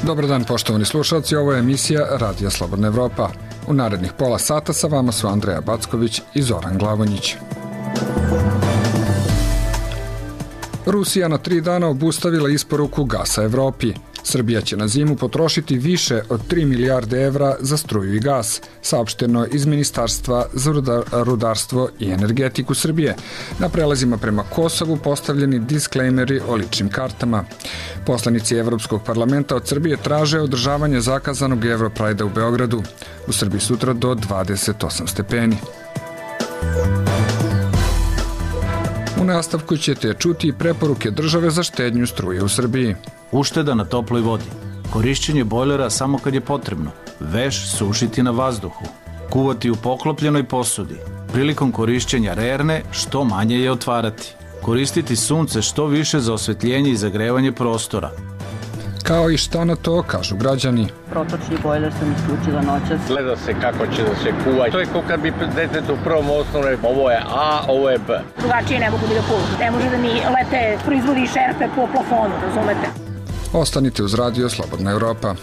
Dobar dan, poštovani slušalci, ovo je emisija Radija Slobodna Evropa. U narednih pola sata sa vama su Andreja Backović i Zoran Glavonjić. Rusija na 3 dana obustavila isporuku gasa Evropi. Srbija će na zimu potrošiti više od 3 milijarde evra za struju i gas, saopšteno iz Ministarstva za rudarstvo i energetiku Srbije. Na prelazima prema Kosovu postavljeni disklejmeri o ličnim kartama. Poslanici Evropskog parlamenta od Srbije traže održavanje zakazanog Europrajda u Beogradu. U Srbiji sutra do 28 stepeni. U nastavku ćete čuti i preporuke države za štednju struje u Srbiji. Ušteda na toploj vodi, korišćenje bojlera samo kad je potrebno, veš sušiti na vazduhu, kuvati u poklopljenoj posudi, prilikom korišćenja rerne što manje je otvarati, koristiti sunce što više za osvetljenje i zagrevanje prostora. Kao i šta na to kažu građani. Protočni bojler sam isključila noćas. Gleda se kako će da se kuva. To je kao kad bi detetu u prvom osnovne, ovo je A, ovo je B. Drugačije ne mogu da kuvam. Ne može da mi lete proizvodi i šerpe po plafonu, razumete? Ostanite uz Radio Slobodna Evropa.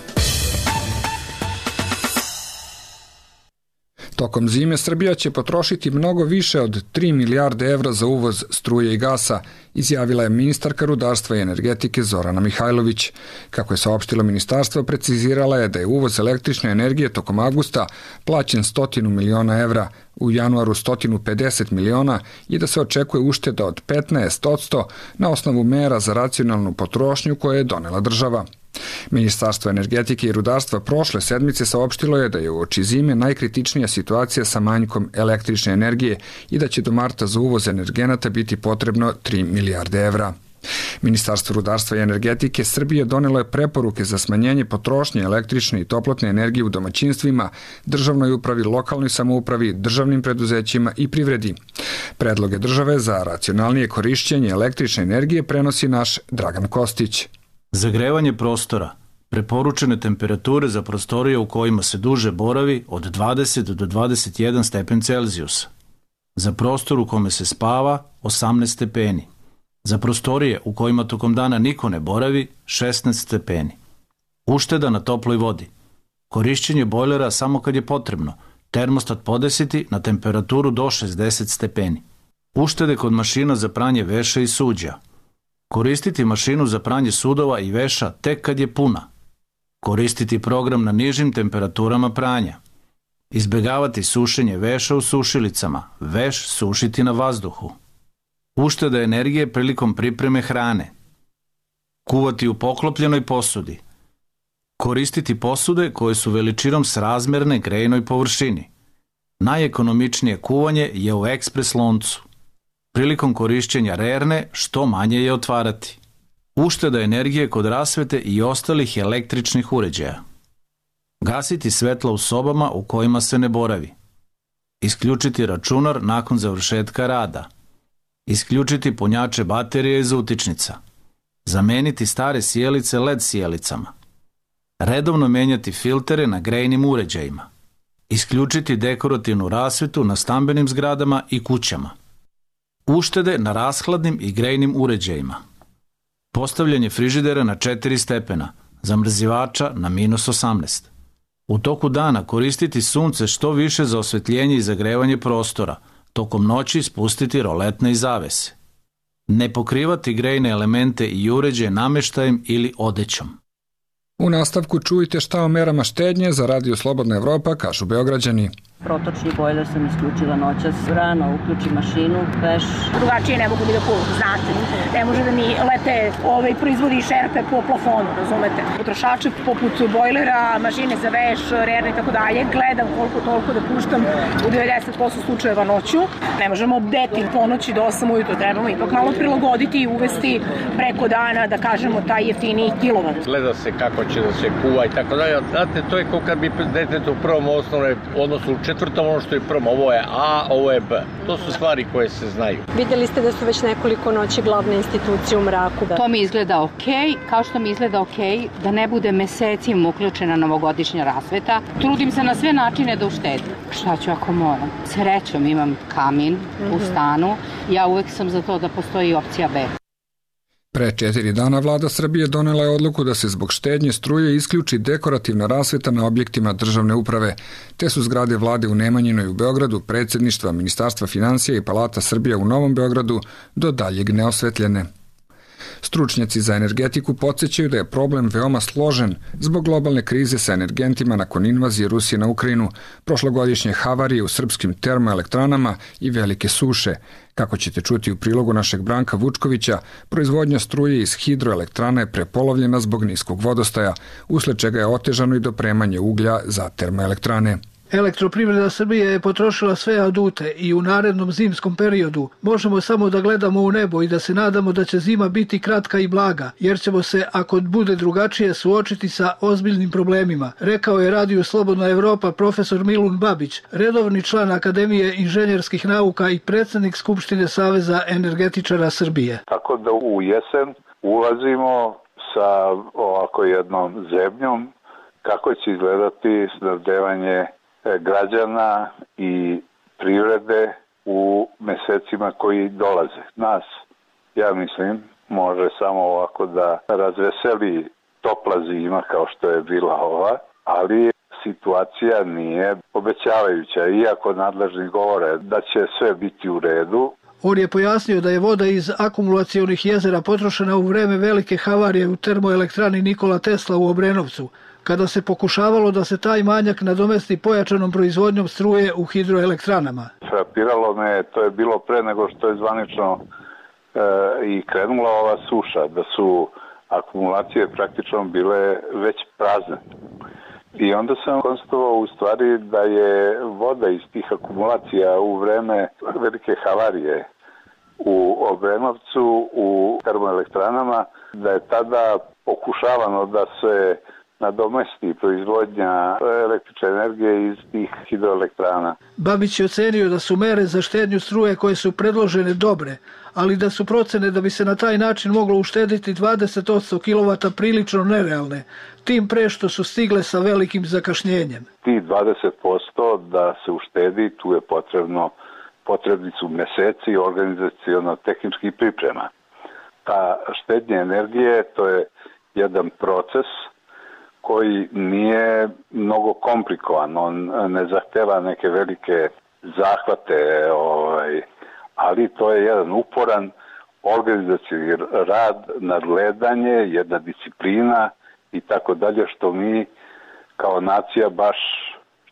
Tokom zime Srbija će potrošiti mnogo više od 3 milijarde evra za uvoz struje i gasa, izjavila je ministarka rudarstva i energetike Zorana Mihajlović. Kako je saopštilo ministarstvo, precizirala je da je uvoz električne energije tokom avgusta plaćen 100 miliona evra, u januaru 150 miliona i da se očekuje ušteda od 15% na osnovu mera za racionalnu potrošnju koje je donela država. Ministarstvo energetike i rudarstva prošle sedmice saopštilo je da je uoči zime najkritičnija situacija sa manjkom električne energije i da će do marta za uvoz energenata biti potrebno 3 milijarde evra. Ministarstvo rudarstva i energetike Srbije donelo je preporuke za smanjenje potrošnje električne i toplotne energije u domaćinstvima, državnoj upravi, lokalnoj samoupravi, državnim preduzećima i privredi. Predloge države za racionalnije korišćenje električne energije prenosi naš Dragan Kostić. Zagrevanje prostora. Preporučene temperature za prostorije u kojima se duže boravi od 20 do 21 stepen Celzijusa. Za prostor u kome se spava 18 stepeni. Za prostorije u kojima tokom dana niko ne boravi 16 stepeni. Ušteda na toploj vodi. Korišćenje bojlera samo kad je potrebno. Termostat podesiti na temperaturu do 60 stepeni. Uštede kod mašina za pranje veša i suđa. Koristiti mašinu za pranje sudova i veša tek kad je puna. Koristiti program na nižim temperaturama pranja. Izbegavati sušenje veša u sušilicama, veš sušiti na vazduhu. Ušteda energije prilikom pripreme hrane. Kuvati u poklopljenoj posudi. Koristiti posude koje su veličinom srazmerne grejnoj površini. Najekonomičnije kuvanje je u ekspres loncu. Prilikom korišćenja rerne što manje je otvarati. Ušteda energije kod rasvete i ostalih električnih uređaja. Gasiti svetla u sobama u kojima se ne boravi. Isključiti računar nakon završetka rada. Isključiti punjače baterije iz utičnica. Zameniti stare sijalice LED sijalicama. Redovno menjati filtere na grejnim uređajima. Isključiti dekorativnu rasvetu na stambenim zgradama i kućama. Uštede na rashladnim i grejnim uređajima. Postavljanje frižidera na 4 stepena, zamrzivača na -18. U toku dana koristiti sunce što više za osvetljenje i zagrevanje prostora, tokom noći spustiti roletne i zavese. Ne pokrivati grejne elemente i uređaje nameštajem ili odećom. U nastavku čujte šta o merama štednje za Radio Slobodna Evropa kažu Beograđani. Protočni bojler sam isključila noćas. Rano uključim mašinu, veš. Drugačije ne mogu da kuvam, znate. Ne može da mi lete proizvodi i šerpe po plafonu, razumete. Potrošače poput bojlera, mašine za veš, rerne i tako dalje, gledam koliko toliko da puštam u 90% slučajeva noću. Ne možemo bdeti po noći do 8 ujutro, trebamo ipak malo prilagoditi i uvesti preko dana, da kažemo, taj jeftiniji kilovat. Gleda se kako će da se kuva i tako dalje. Znate, to je kao kad bi detetu u prvom osnovne, odnosno u četvrtom ono što je prvom, ovo je A, ovo je B. To su stvari koje se znaju. Videli ste da su već nekoliko noći glavne institucije u mraku. To mi izgleda okej, kao što mi izgleda okej da ne bude mesecima uključena novogodišnja rasveta. Trudim se na sve načine da uštedim. Šta ću ako moram? Srećom imam kamin u stanu. Ja uvek sam za to da postoji opcija B. Pre 4 dana vlada Srbije donela je odluku da se zbog štednje struje isključi dekorativna rasveta na objektima državne uprave, te su zgrade vlade u Nemanjinoj u Beogradu, predsjedništva, Ministarstva finansija i Palata Srbija u Novom Beogradu do daljeg neosvetljene. Stručnjaci za energetiku podsjećaju da je problem veoma složen zbog globalne krize sa energentima nakon invazije Rusije na Ukrajinu, prošlogodišnje havarije u srpskim termoelektranama i velike suše. Kako ćete čuti u prilogu našeg Branka Vučkovića, proizvodnja struje iz hidroelektrana je prepolovljena zbog niskog vodostaja, usled čega je otežano i dopremanje uglja za termoelektrane. Elektroprivreda Srbije je potrošila sve adute i u narednom zimskom periodu možemo samo da gledamo u nebo i da se nadamo da će zima biti kratka i blaga, jer ćemo se, ako bude drugačije, suočiti sa ozbiljnim problemima, rekao je Radiju Slobodna Evropa profesor Milun Babić, redovni član Akademije inženjerskih nauka i predsjednik Skupštine Saveza energetičara Srbije. Tako da u jesen ulazimo sa ovako jednom zebnjom kako će izgledati snabdevanje građana i privrede u mesecima koji dolaze. Nas, ja mislim, može samo ovako da razveseli topla zima kao što je bila ova, ali situacija nije obećavajuća, iako nadležni govore da će sve biti u redu. On je pojasnio da je voda iz akumulacionih jezera potrošena u vreme velike havarije u termoelektrani Nikola Tesla u Obrenovcu, kada se pokušavalo da se taj manjak nadomesti pojačanom proizvodnjom struje u hidroelektranama. Frapiralo me, to je bilo pre nego što je zvanično i krenula ova suša, da su akumulacije praktično bile već prazne. I onda sam konstatovao u stvari da je voda iz tih akumulacija u vreme velike havarije u Obrenovcu, u termoelektranama, da je tada pokušavano da se nadomesti proizvodnja električne energije iz tih hidroelektrana. Babić je ocenio da su mere za štednju struje koje su predložene dobre, ali da su procene da bi se na taj način moglo uštediti 20% kW prilično nerealne, tim pre što su stigle sa velikim zakašnjenjem. Ti 20% da se uštedi, tu je potrebni su meseci organizaciono-tehničkih priprema. Ta štednja energije, to je jedan proces koji nije mnogo komplikovan, on ne zahteva neke velike zahvate, ali to je jedan uporan organizacijski rad, nadgledanje, jedna disciplina i tako dalje, što mi kao nacija baš,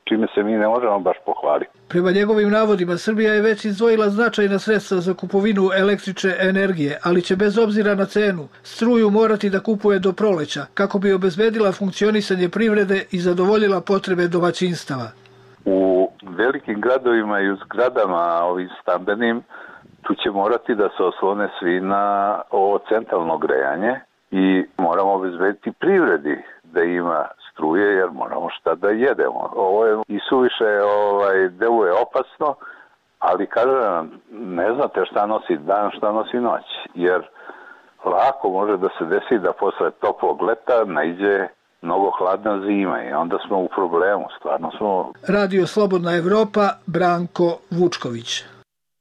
čime se mi ne možemo baš pohvaliti. Prema njegovim navodima, Srbija je već izdvojila značajna sredstva za kupovinu električne energije, ali će bez obzira na cenu struju morati da kupuje do proleća, kako bi obezbedila funkcionisanje privrede i zadovoljila potrebe domaćinstava. U velikim gradovima i u zgradama ovim stambenim, tu će morati da se oslone svi na ovo centralno grejanje i moramo obezbediti privredi da ima struje, jer moramo šta da jedemo. Ovo je i suviše deluje opasno, ali kažem, ne znate šta nosi dan, šta nosi noć, jer lako može da se desi da posle toplog leta naiđe mnogo hladna zima i onda smo u problemu, stvarno smo. Radio Slobodna Evropa, Branko Vučković.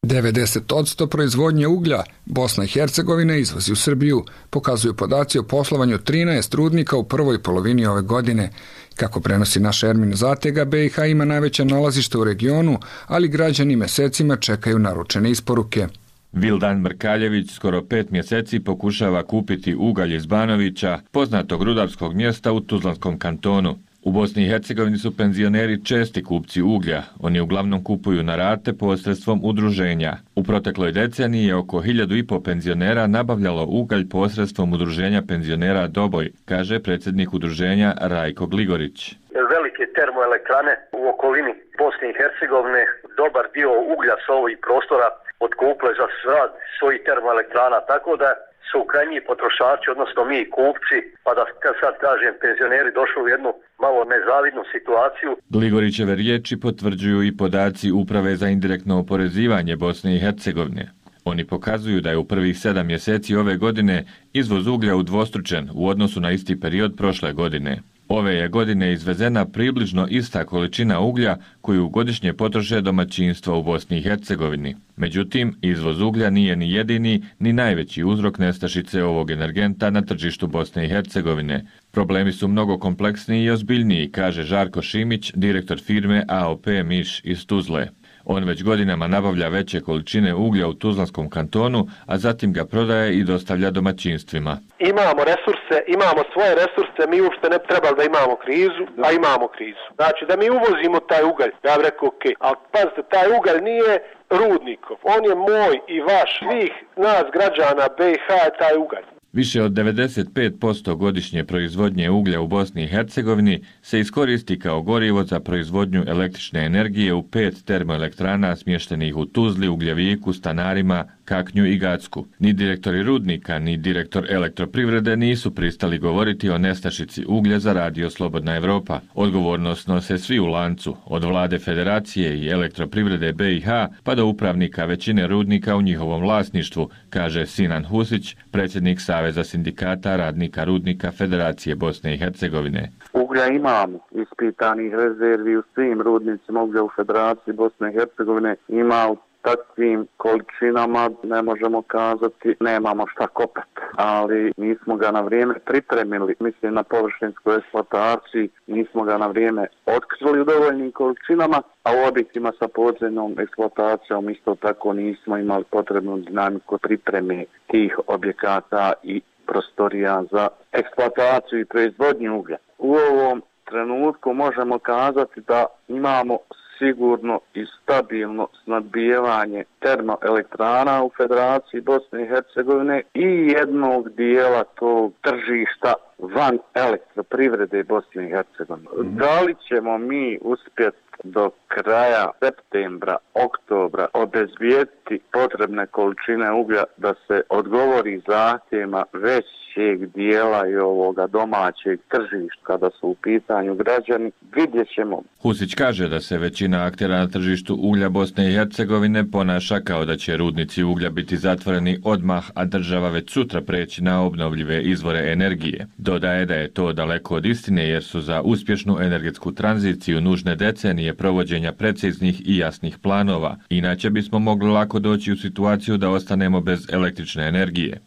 90% proizvodnje uglja Bosna i Hercegovina izvozi u Srbiju, pokazuju podaci o poslovanju 13 rudnika u prvoj polovini ove godine. Kako prenosi naša Ermin Zatega, BiH ima najveće nalazište u regionu, ali građani mesecima čekaju naručene isporuke. Vildan Mrkaljević skoro 5 mjeseci pokušava kupiti ugalj iz Banovića, poznatog rudarskog mjesta u Tuzlanskom kantonu. U Bosni i Hercegovini su penzioneri česti kupci uglja. Oni uglavnom kupuju na rate posredstvom udruženja. U protekloj deceniji je oko 1500 penzionera nabavljalo ugalj posredstvom udruženja penzionera Doboj, kaže predsjednik udruženja Rajko Gligorić. Velike termoelektrane u okolini Bosne i Hercegovine, dobar dio uglja s ovih prostora otkupile za rad svojih termoelektrana, tako da su krajnji potrošači, odnosno mi kupci, pa da sad kažem penzioneri došli u jednu malo nezavidnu situaciju. Gligorićeve riječi potvrđuju i podaci Uprave za indirektno oporezivanje Bosne i Hercegovine. Oni pokazuju da je u prvih 7 mjeseci ove godine izvoz uglja udvostručen u odnosu na isti period prošle godine. Ove je godine izvezena približno ista količina uglja koju godišnje potroše domaćinstva u Bosni i Hercegovini. Međutim, izvoz uglja nije ni jedini ni najveći uzrok nestašice ovog energenta na tržištu Bosne i Hercegovine. Problemi su mnogo kompleksniji i ozbiljniji, kaže Žarko Šimić, direktor firme AOP Miš iz Tuzle. On već godinama nabavlja veće količine uglja u Tuzlanskom kantonu, a zatim ga prodaje i dostavlja domaćinstvima. Imamo resurse, imamo svoje resurse, mi uopšte ne trebali da imamo krizu, a imamo krizu. Znači da mi uvozimo taj ugalj, ja bih rekao ok, ali pazite, taj ugalj nije rudnikov, on je moj i vaš, svih nas građana BiH je taj ugalj. Više od 95% godišnje proizvodnje uglja u Bosni i Hercegovini se iskoristi kao gorivo za proizvodnju električne energije u 5 termoelektrana smještenih u Tuzli, Ugljeviku, Stanarima, Kaknju i Gacku. Ni direktori rudnika, ni direktor elektroprivrede nisu pristali govoriti o nestašici uglja za Radio Slobodna Evropa. Odgovornost nose svi u lancu, od vlade federacije i elektroprivrede BiH pa do upravnika većine rudnika u njihovom vlasništvu, kaže Sinan Husić, predsjednik Saveza sindikata radnika rudnika Federacije Bosne i Hercegovine. Uglja imamo, ispitanih rezervi u svim rudnicima uglja u Federaciji Bosne i Hercegovine, ima u takvim količinama, ne možemo kazati, nemamo šta kopati, ali nismo ga na vrijeme pripremili, mislim na površinskoj eksploataciji, nismo ga na vrijeme otkrili u dovoljnim količinama, a u objektima sa podzemnom eksploatacijom isto tako nismo imali potrebnu dinamiku pripreme tih objekata i prostorija za eksploataciju i proizvodnju uglja. U ovom trenutku možemo kazati da imamo sigurno i stabilno snabdijevanje termoelektrana u Federaciji Bosne i Hercegovine i jednog dijela tog tržišta van elektroprivrede Bosne i Hercegovine. Da li ćemo mi uspjeti do kraja septembra, oktobra obezbijediti potrebne količine uglja da se odgovori zahtjevima većeg dijela i ovoga domaćeg tržišta kada su u pitanju građani, vidjet ćemo. Husić kaže da se većina aktera na tržištu uglja Bosne i Hercegovine ponaša kao da će rudnici uglja biti zatvoreni odmah, a država već sutra preći na obnovljive izvore energije. Dodaje da je to daleko od istine jer su za uspješnu energetsku tranziciju nužne decenije provođenja preciznih i jasnih planova, inače bismo mogli lako doći u situaciju da ostanemo bez električne energije.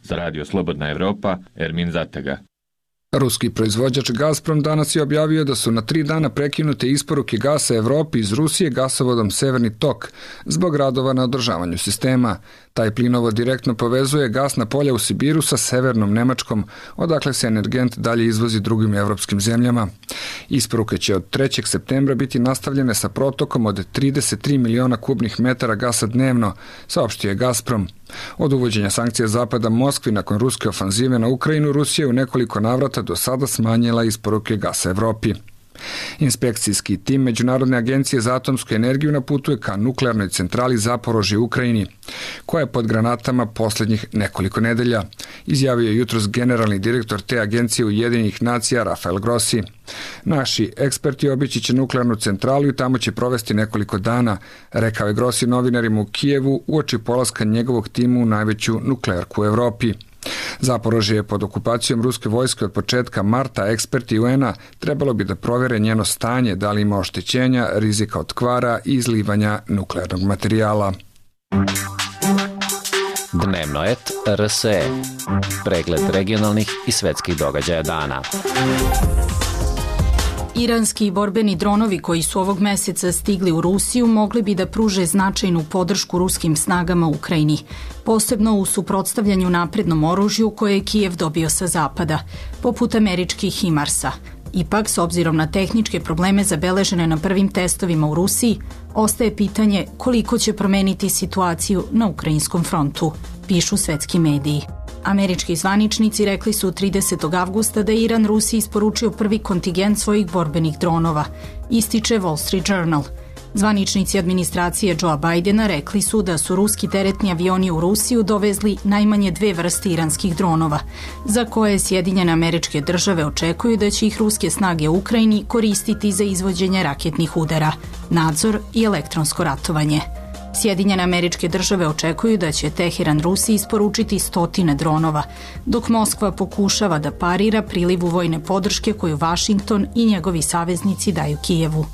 Za Radio Slobodna Evropa, Ermin Zatega. Ruski proizvođač Gazprom danas je objavio da su na 3 dana prekinute isporuke gasa Evropi iz Rusije gasovodom Severni tok zbog radova na održavanju sistema. Taj plinovod direktno povezuje gasna polja u Sibiru sa severnom Nemačkom, odakle se energent dalje izvozi drugim evropskim zemljama. Isporuke će od 3. septembra biti nastavljene sa protokom od 33 miliona kubnih metara gasa dnevno, saopštio je Gazprom. Od uvođenja sankcija Zapada Moskvi nakon ruske ofanzive na Ukrajinu, Rusija u nekoliko navrata do sada smanjila isporuke gasa Evropi. Inspekcijski tim Međunarodne agencije za atomsku energiju naputuje ka nuklearnoj centrali Zaporožje u Ukrajini, koja je pod granatama posljednjih nekoliko nedelja, izjavio je jutros generalni direktor te agencije Ujedinjenih nacija Rafael Grossi. Naši eksperti obići će nuklearnu centralu i tamo će provesti nekoliko dana, rekao je Grossi novinarima u Kijevu uoči polaska njegovog tima u najveću nuklearku u Evropi. Zaporožje je pod okupacijom ruske vojske od početka marta, eksperti UN-a trebalo bi da provjere njeno stanje, da li ima oštećenja, rizika od kvara i izlivanja nuklearnog materijala. Dnevno et RSE. Pregled regionalnih i svetskih događaja dana. Iranski borbeni dronovi koji su ovog meseca stigli u Rusiju mogli bi da pruže značajnu podršku ruskim snagama u Ukrajini, posebno u suprotstavljanju naprednom oružju koje je Kijev dobio sa zapada, poput američkih HIMARS-a. Ipak, s obzirom na tehničke probleme zabeležene na prvim testovima u Rusiji, ostaje pitanje koliko će promeniti situaciju na ukrajinskom frontu, pišu svetski mediji. Američki zvaničnici rekli su 30. avgusta da je Iran Rusiji isporučio prvi kontingent svojih borbenih dronova, ističe Wall Street Journal. Zvaničnici administracije Joea Bidena rekli su da su ruski teretni avioni u Rusiju dovezli najmanje 2 vrste iranskih dronova, za koje Sjedinjene Američke Države očekuju da će ih ruske snage u Ukrajini koristiti za izvođenje raketnih udara, nadzor i elektronsko ratovanje. Sjedinjene Američke Države očekuju da će Teheran Rusiji isporučiti 100 dronova, dok Moskva pokušava da parira prilivu vojne podrške koju Vašington i njegovi saveznici daju Kijevu.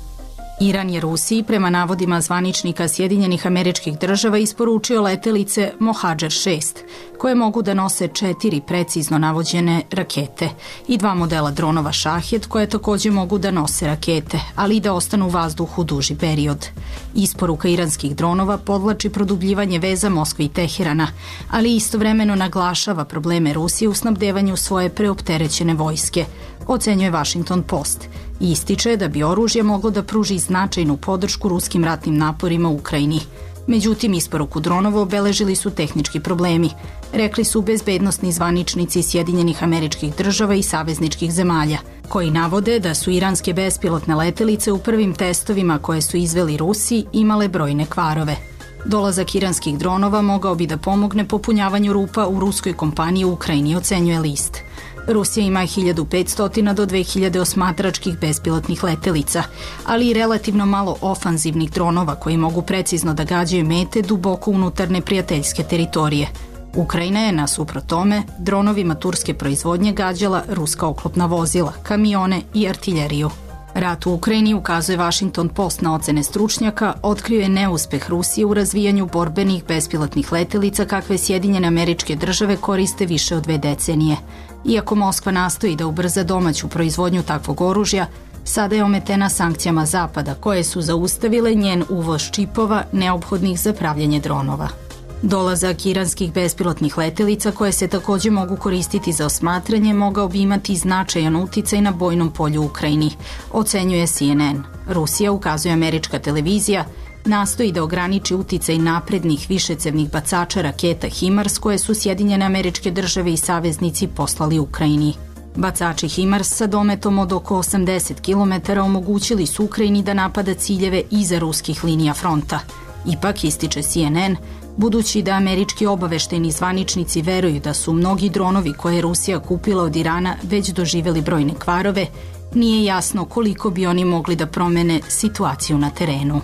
Iran je Rusiji, prema navodima zvaničnika Sjedinjenih Američkih Država, isporučio letelice Mohađer 6, koje mogu da nose 4 precizno navođene rakete i 2 modela dronova Šahed, koje takođe mogu da nose rakete, ali i da ostanu u vazduhu duži period. Isporuka iranskih dronova podvlači produbljivanje veza Moskve i Teherana, ali istovremeno naglašava probleme Rusije u snabdevanju svoje preopterećene vojske, ocenjuje Washington Post, i ističe da bi oružje moglo da pruži značajnu podršku ruskim ratnim naporima u Ukrajini. Međutim, isporuku dronova obeležili su tehnički problemi, rekli su bezbednosni zvaničnici Sjedinjenih Američkih Država i savezničkih zemalja, koji navode da su iranske bespilotne letelice u prvim testovima koje su izveli Rusi imale brojne kvarove. Dolazak iranskih dronova mogao bi da pomogne popunjavanju rupa u ruskoj kompaniji u Ukrajini, ocenjuje list. Rusija ima 1500 do 2000 osmatračkih bespilotnih letelica, ali i relativno malo ofanzivnih dronova koji mogu precizno da gađaju mete duboko unutar neprijateljske teritorije. Ukrajina je, nasuprot tome, dronovima turske proizvodnje gađala ruska oklopna vozila, kamione i artiljeriju. Rat u Ukrajini, ukazuje Washington Post na ocene stručnjaka, otkrio je neuspeh Rusije u razvijanju borbenih bespilotnih letelica kakve Sjedinjene Američke Države koriste više od 2 decenije. Iako Moskva nastoji da ubrza domaću proizvodnju takvog oružja, sada je ometena sankcijama Zapada, koje su zaustavile njen uvoz čipova neophodnih za pravljanje dronova. Dolazak iranskih bespilotnih letelica, koje se takođe mogu koristiti za osmatranje, mogao bi imati značajan uticaj na bojnom polju u Ukrajini, ocenjuje CNN. Rusija, ukazuje američka televizija, nastoji da ograniči uticaj naprednih višecevnih bacača raketa HIMARS koje su Sjedinjene Američke Države i saveznici poslali Ukrajini. Bacači HIMARS sa dometom od oko 80 km omogućili su Ukrajini da napada ciljeve iza ruskih linija fronta. Ipak, ističe CNN, budući da američki obaveštajni zvaničnici veruju da su mnogi dronovi koje je Rusija kupila od Irana već doživeli brojne kvarove, nije jasno koliko bi oni mogli da promene situaciju na terenu.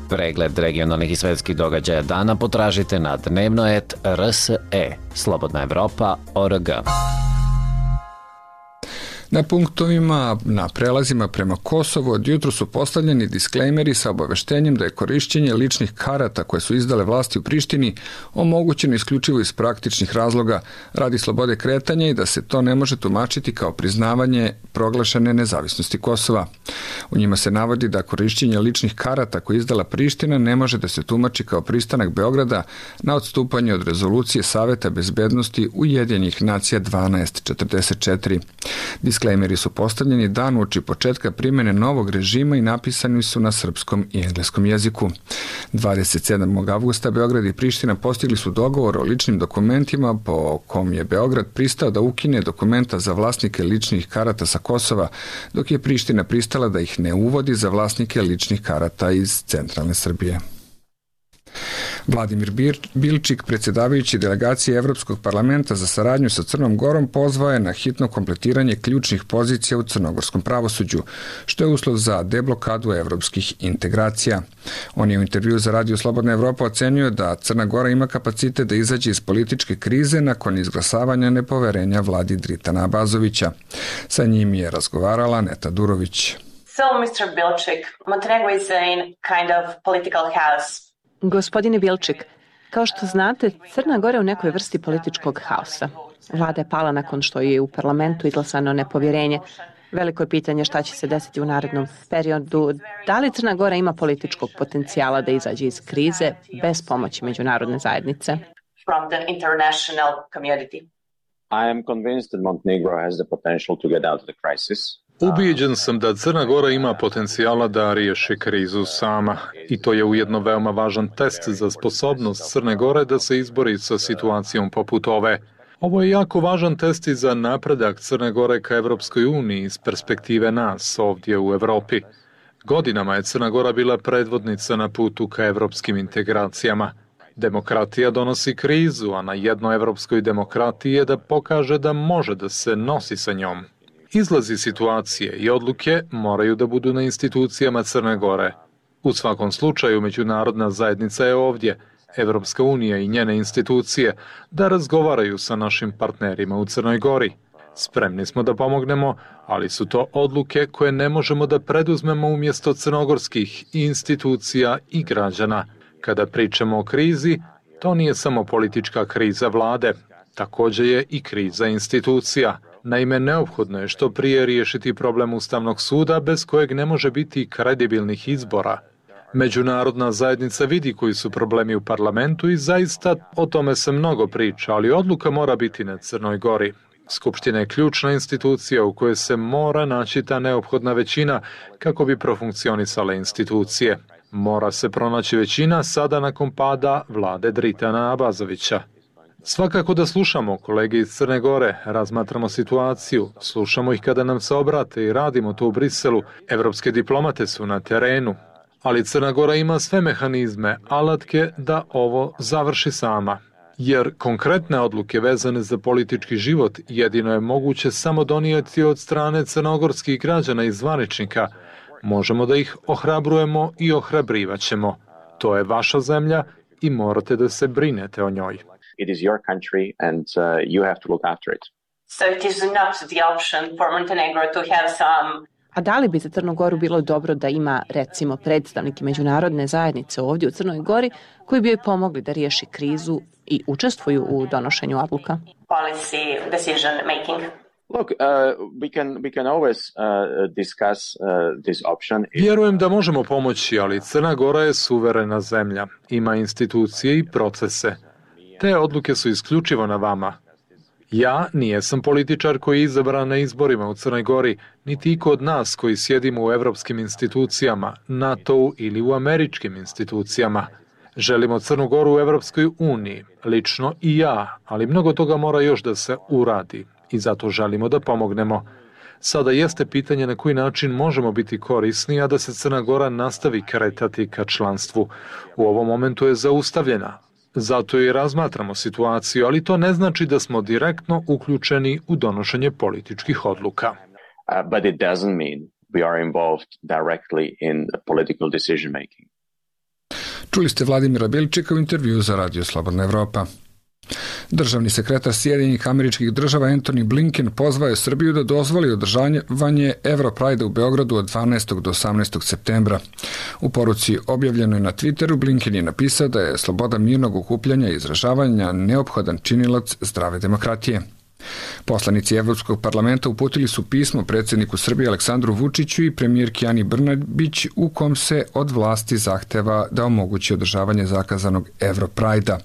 Pregled regionalnih i svetskih događaja dana potražite na dnevno.rs.e, Slobodna Evropa.org. Na punktovima na prelazima prema Kosovu od jutro su postavljeni disklejmeri sa obaveštenjem da je korišćenje ličnih karata koje su izdale vlasti u Prištini omogućeno isključivo iz praktičnih razloga radi slobode kretanja i da se to ne može tumačiti kao priznavanje proglašene nezavisnosti Kosova. U njima se navodi da korišćenje ličnih karata koje je izdala Priština ne može da se tumači kao pristanak Beograda na odstupanje od rezolucije Saveta bezbednosti Ujedinjenih nacija 1244. Disklejmeri su postavljeni dan uoči početka primjene novog režima i napisani su na srpskom i engleskom jeziku. 27. avgusta Beograd i Priština postigli su dogovor o ličnim dokumentima po kom je Beograd pristao da ukine dokumenta za vlasnike ličnih karata sa Kosova, dok je Priština pristala da ih ne uvodi za vlasnike ličnih karata iz centralne Srbije. Vladimir Bilčik, predsjedavajući delegacije Evropskog parlamenta za saradnju sa Crnom Gorom, pozvao je na hitno kompletiranje ključnih pozicija u crnogorskom pravosuđu, što je uslov za deblokadu evropskih integracija. On je u intervju za Radio Slobodna Evropa ocenio da Crna Gora ima kapacitet da izađe iz političke krize nakon izglasavanja nepoverenja vladi Dritana Abazovića. Sa njim je razgovarala Neta Durović. So, Mr. Bilčik, Montenegro is in kind of political chaos. Gospodine Bilčik, kao što znate, Crna Gora je u nekoj vrsti političkog haosa. Vlada je pala nakon što je u parlamentu izglasano nepovjerenje. Veliko je pitanje šta će se desiti u narednom periodu. Da li Crna Gora ima političkog potencijala da izađe iz krize bez pomoći međunarodne zajednice? From the international community. I am convinced that Montenegro has the potential to get out of the crisis. Ubijeđen sam da Crna Gora ima potencijala da riješi krizu sama i to je ujedno veoma važan test za sposobnost Crne Gore da se izbori sa situacijom poput ove. Ovo je jako važan test i za napredak Crne Gore ka Evropskoj uniji iz perspektive nas ovdje u Evropi. Godinama je Crna Gora bila predvodnica na putu ka evropskim integracijama. Demokratija donosi krizu, a na jednoj evropskoj demokratiji je da pokaže da može da se nosi sa njom. Izlazi situacije i odluke moraju da budu na institucijama Crne Gore. U svakom slučaju, međunarodna zajednica je ovdje, Evropska unija i njene institucije, da razgovaraju sa našim partnerima u Crnoj Gori. Spremni smo da pomognemo, ali su to odluke koje ne možemo da preduzmemo umjesto crnogorskih institucija i građana. Kada pričamo o krizi, to nije samo politička kriza vlade, također je i kriza institucija. Naime, neophodno je što prije riješiti problem Ustavnog suda bez kojeg ne može biti kredibilnih izbora. Međunarodna zajednica vidi koji su problemi u parlamentu i zaista o tome se mnogo priča, ali odluka mora biti na Crnoj Gori. Skupština je ključna institucija u kojoj se mora naći ta neophodna većina kako bi profunkcionisale institucije. Mora se pronaći većina sada nakon pada vlade Dritana Abazovića. Svakako da slušamo kolege iz Crne Gore, razmatramo situaciju, slušamo ih kada nam se obrate i radimo to u Briselu. Evropske diplomate su na terenu, ali Crna Gora ima sve mehanizme, alatke da ovo završi sama. Jer konkretne odluke vezane za politički život jedino je moguće samo donijeti od strane crnogorskih građana i zvaničnika. Možemo da ih ohrabrujemo i ohrabrivaćemo. To je vaša zemlja i morate da se brinete o njoj. It is your country and you have to look after it. So it is not the option for Montenegro to have some. A da li bi za Crnu Goru bilo dobro da ima, recimo, predstavnike međunarodne zajednice ovdje u Crnoj Gori koji bi joj pomogli da riješi krizu i učestvuju u donošenju odluka? Policy decision making. Look, we can always discuss this option. Vjerujem da možemo pomoći, ali Crna Gora je suverena zemlja. Ima institucije i procese. Te odluke su isključivo na vama. Ja nijesam političar koji je izabran na izborima u Crnoj Gori, niti iko od nas koji sjedimo u evropskim institucijama, NATO-u ili u američkim institucijama. Želimo Crnu Goru u Evropskoj uniji, lično i ja, ali mnogo toga mora još da se uradi i zato želimo da pomognemo. Sada jeste pitanje na koji način možemo biti korisni, a da se Crna Gora nastavi kretati ka članstvu. U ovom momentu je zaustavljena. Zato i razmatramo situaciju, ali to ne znači da smo direktno uključeni u donošenje političkih odluka. But it doesn't mean we are involved directly in political decision making. Čuli ste Vladimira Bilčika u intervju za Radio Slobodna Evropa. Državni sekretar Sjedinjenih Američkih Država Antony Blinken pozvao je Srbiju da dozvoli održavanje Europride u Beogradu od 12. do 18. septembra. U poruci objavljenoj na Twitteru Blinken je napisao da je sloboda mirnog okupljanja i izražavanja neophodan činilac zdrave demokratije. Poslanici Evropskog parlamenta uputili su pismo predsjedniku Srbije Aleksandru Vučiću i premijerki Ani Brnabić u kom se od vlasti zahteva da omogući održavanje zakazanog Europrajda,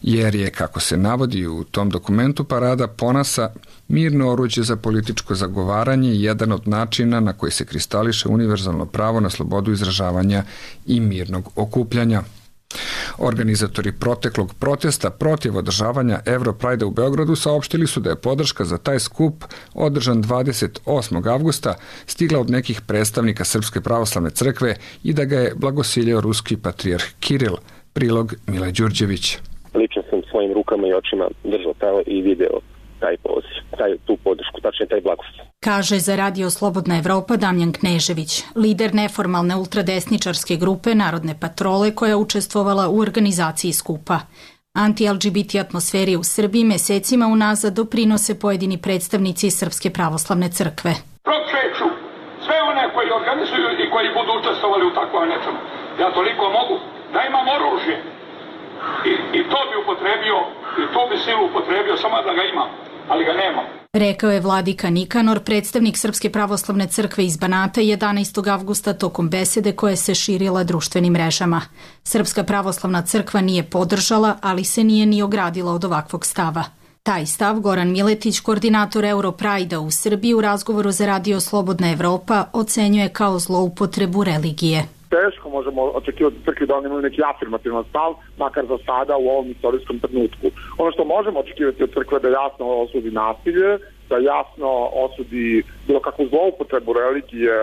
jer je, kako se navodi u tom dokumentu, parada ponasa mirno oruđe za političko zagovaranje i jedan od načina na koji se kristališe univerzalno pravo na slobodu izražavanja i mirnog okupljanja. Organizatori proteklog protesta protiv održavanja Europrajda u Beogradu saopštili su da je podrška za taj skup održan 28. avgusta stigla od nekih predstavnika Srpske pravoslavne crkve i da ga je blagosiljao ruski patrijarh Kiril. Prilog Mile Đurđević. Lično sam svojim rukama i očima držao i video taj poziv, tu podršku, tačnije taj blagoslov. Kaže za Radio Slobodna Evropa Damjan Knežević, lider neformalne ultradesničarske grupe Narodne patrole koja je učestvovala u organizaciji skupa. Anti-LGBT atmosferi u Srbiji mesecima unazad doprinose pojedini predstavnici Srpske pravoslavne crkve. Prokreću sve one koji organizuju i koji budu učestvovali u takvom nečemu. Ja toliko mogu da imam oružje i to bi upotrebio i to bi silu upotrebio samo da ga imam, ali ga nemam. Rekao je vladika Nikanor, predstavnik Srpske pravoslavne crkve iz Banata 11. avgusta tokom besede koje se širila društvenim mrežama. Srpska pravoslavna crkva nije podržala, ali se nije ni ogradila od ovakvog stava. Taj stav Goran Miletić, koordinator Europrajda u Srbiji, u razgovoru za Radio Slobodna Evropa ocenjuje kao zloupotrebu religije. Teško možemo očekivati crkvi da oni imaju neki afirmativan stav, makar za sada u ovom istorijskom trenutku. Ono što možemo očekivati od crkve da jasno osudi nasilje, da jasno osudi bilo kakvu zloupotrebu religije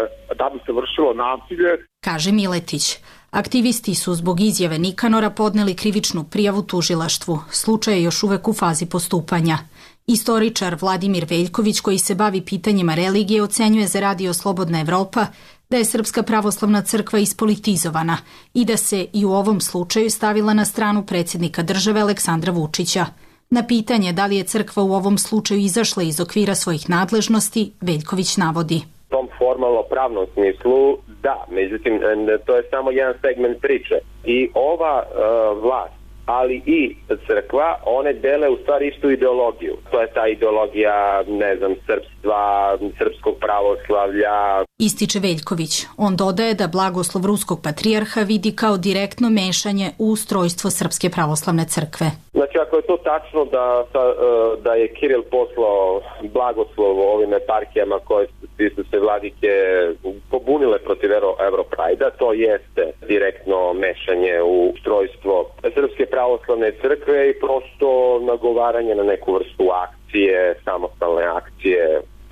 da bi se vršilo nasilje. Kaže Miletić. Aktivisti su zbog izjave Nikanora podneli krivičnu prijavu tužilaštvu. Slučaj je još uvek u fazi postupanja. Istoričar Vladimir Veljković, koji se bavi pitanjima religije, ocenjuje za Radio Slobodna Evropa da je Srpska pravoslavna crkva ispolitizovana i da se i u ovom slučaju stavila na stranu predsjednika države Aleksandra Vučića. Na pitanje da li je crkva u ovom slučaju izašla iz okvira svojih nadležnosti, Veljković navodi. U tom formalno-pravnom smislu da, međutim to je samo jedan segment priče. I ova vlast, ali i crkva, one dele u stvari istu ideologiju. To je ta ideologija, srpstva, srpskog pravoslavlja. Ističe Veljković. On dodaje da blagoslov ruskog patrijarha vidi kao direktno mešanje u ustrojstvo Srpske pravoslavne crkve. Znači, ako je to tačno da je Kiril poslao blagoslov ovim eparhijama koje su se vladike pobunile protiv Europrajda, to jeste direktno mešanje u ustrojstvo Srpske pravoslavne crkve i prosto nagovaranje na neku vrstu akcije, samostalne akcije,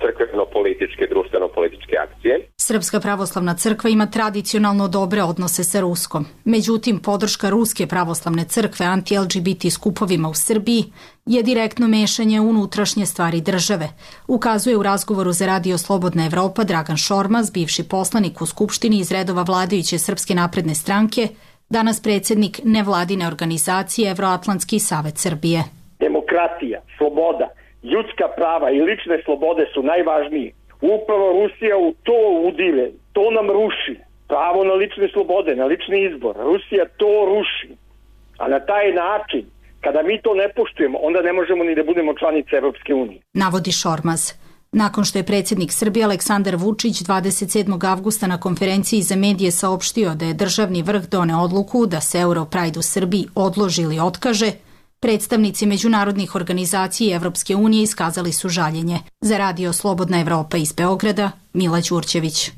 crkveno-političke, društveno-političke akcije. Srpska pravoslavna crkva ima tradicionalno dobre odnose sa Ruskom. Međutim, podrška Ruske pravoslavne crkve anti-LGBT skupovima u Srbiji je direktno mešanje u unutrašnje stvari države, ukazuje u razgovoru za Radio Slobodna Evropa Dragan Šormaz, bivši poslanik u Skupštini iz redova vladajuće Srpske napredne stranke, danas predsjednik nevladine organizacije Evroatlantski savet Srbije. Demokratija, sloboda, ljudska prava i lične slobode su najvažnije. Upravo Rusija u to udire, to nam ruši. Pravo na lične slobode, na lični izbor. Rusija to ruši. A na taj način, kada mi to ne poštujemo, onda ne možemo ni da budemo članice Evropske unije. Navodi Šormaz. Nakon što je predsjednik Srbije Aleksandar Vučić 27. avgusta na konferenciji za medije saopštio da je državni vrh doneo odluku da se Europride u Srbiji odloži ili otkaže, predstavnici međunarodnih organizacija Evropske unije iskazali su žaljenje. Za Radio Slobodna Evropa iz Beograda, Mila Đurđević.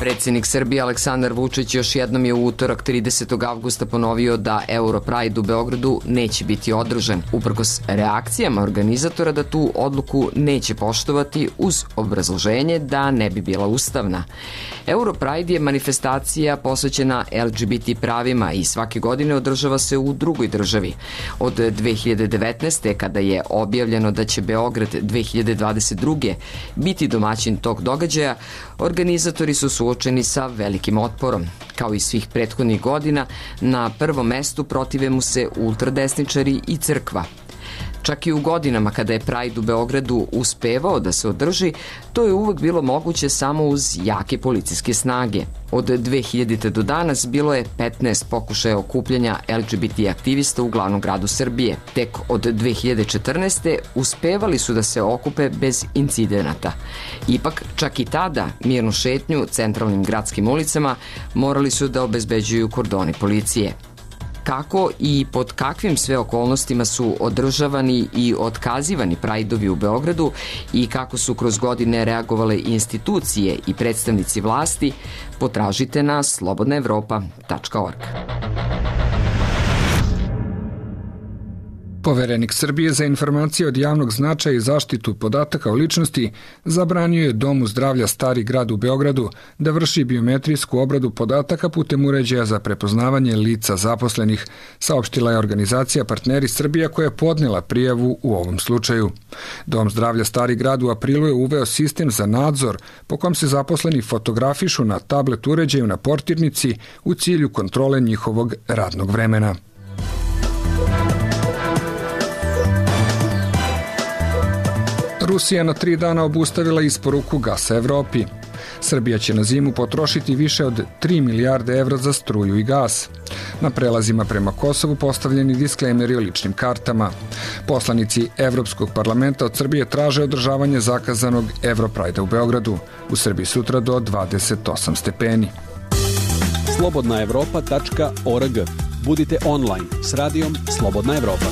Predsjednik Srbije Aleksandar Vučić još jednom je u utorak 30. avgusta ponovio da Europride u Beogradu neće biti održan, uprkos reakcijama organizatora da tu odluku neće poštovati uz obrazloženje da ne bi bila ustavna. Europride je manifestacija posvećena LGBT pravima i svake godine održava se u drugoj državi. Od 2019. kada je objavljeno da će Beograd 2022. biti domaćin tog događaja, organizatori su suočeni sa velikim otporom. Kao i svih prethodnih godina, na prvom mestu protive mu se ultradesničari i crkva. Čak i u godinama kada je Pride u Beogradu uspevao da se održi, to je uvek bilo moguće samo uz jake policijske snage. Od 2000. do danas bilo je 15 pokušaja okupljanja LGBT aktivista u glavnom gradu Srbije. Tek od 2014. uspevali su da se okupe bez incidenata. Ipak, čak i tada, mirnu šetnju centralnim gradskim ulicama morali su da obezbeđuju kordoni policije. Kako i pod kakvim sve okolnostima su održavani i otkazivani Prajdovi u Beogradu i kako su kroz godine reagovale institucije i predstavnici vlasti, potražite na slobodnaevropa.org. Poverenik Srbije za informacije od javnog značaja i zaštitu podataka o ličnosti zabranio je Domu zdravlja Stari grad u Beogradu da vrši biometrijsku obradu podataka putem uređaja za prepoznavanje lica zaposlenih, saopštila je organizacija Partneri Srbija koja je podnela prijavu u ovom slučaju. Dom zdravlja Stari grad u aprilu je uveo sistem za nadzor po kom se zaposleni fotografišu na tablet uređaju na portirnici u cilju kontrole njihovog radnog vremena. Rusija na 3 dana obustavila isporuku gasa Evropi. Srbija će na zimu potrošiti više od 3 milijarde evra za struju i gas. Na prelazima prema Kosovu postavljeni disklejmeri o ličnim kartama. Poslanici Evropskog parlamenta od Srbije traže održavanje zakazanog Europrajda u Beogradu. U Srbiji sutra do 28 stepeni. Slobodnaevropa.org. Budite online s radijom Slobodna Evropa.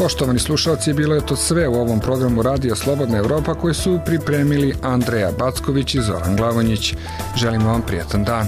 Poštovani slušalci, bilo je to sve u ovom programu Radija Slobodna Evropa koji su pripremili Andreja Backović i Zoran Glavonjić. Želimo vam prijatan dan.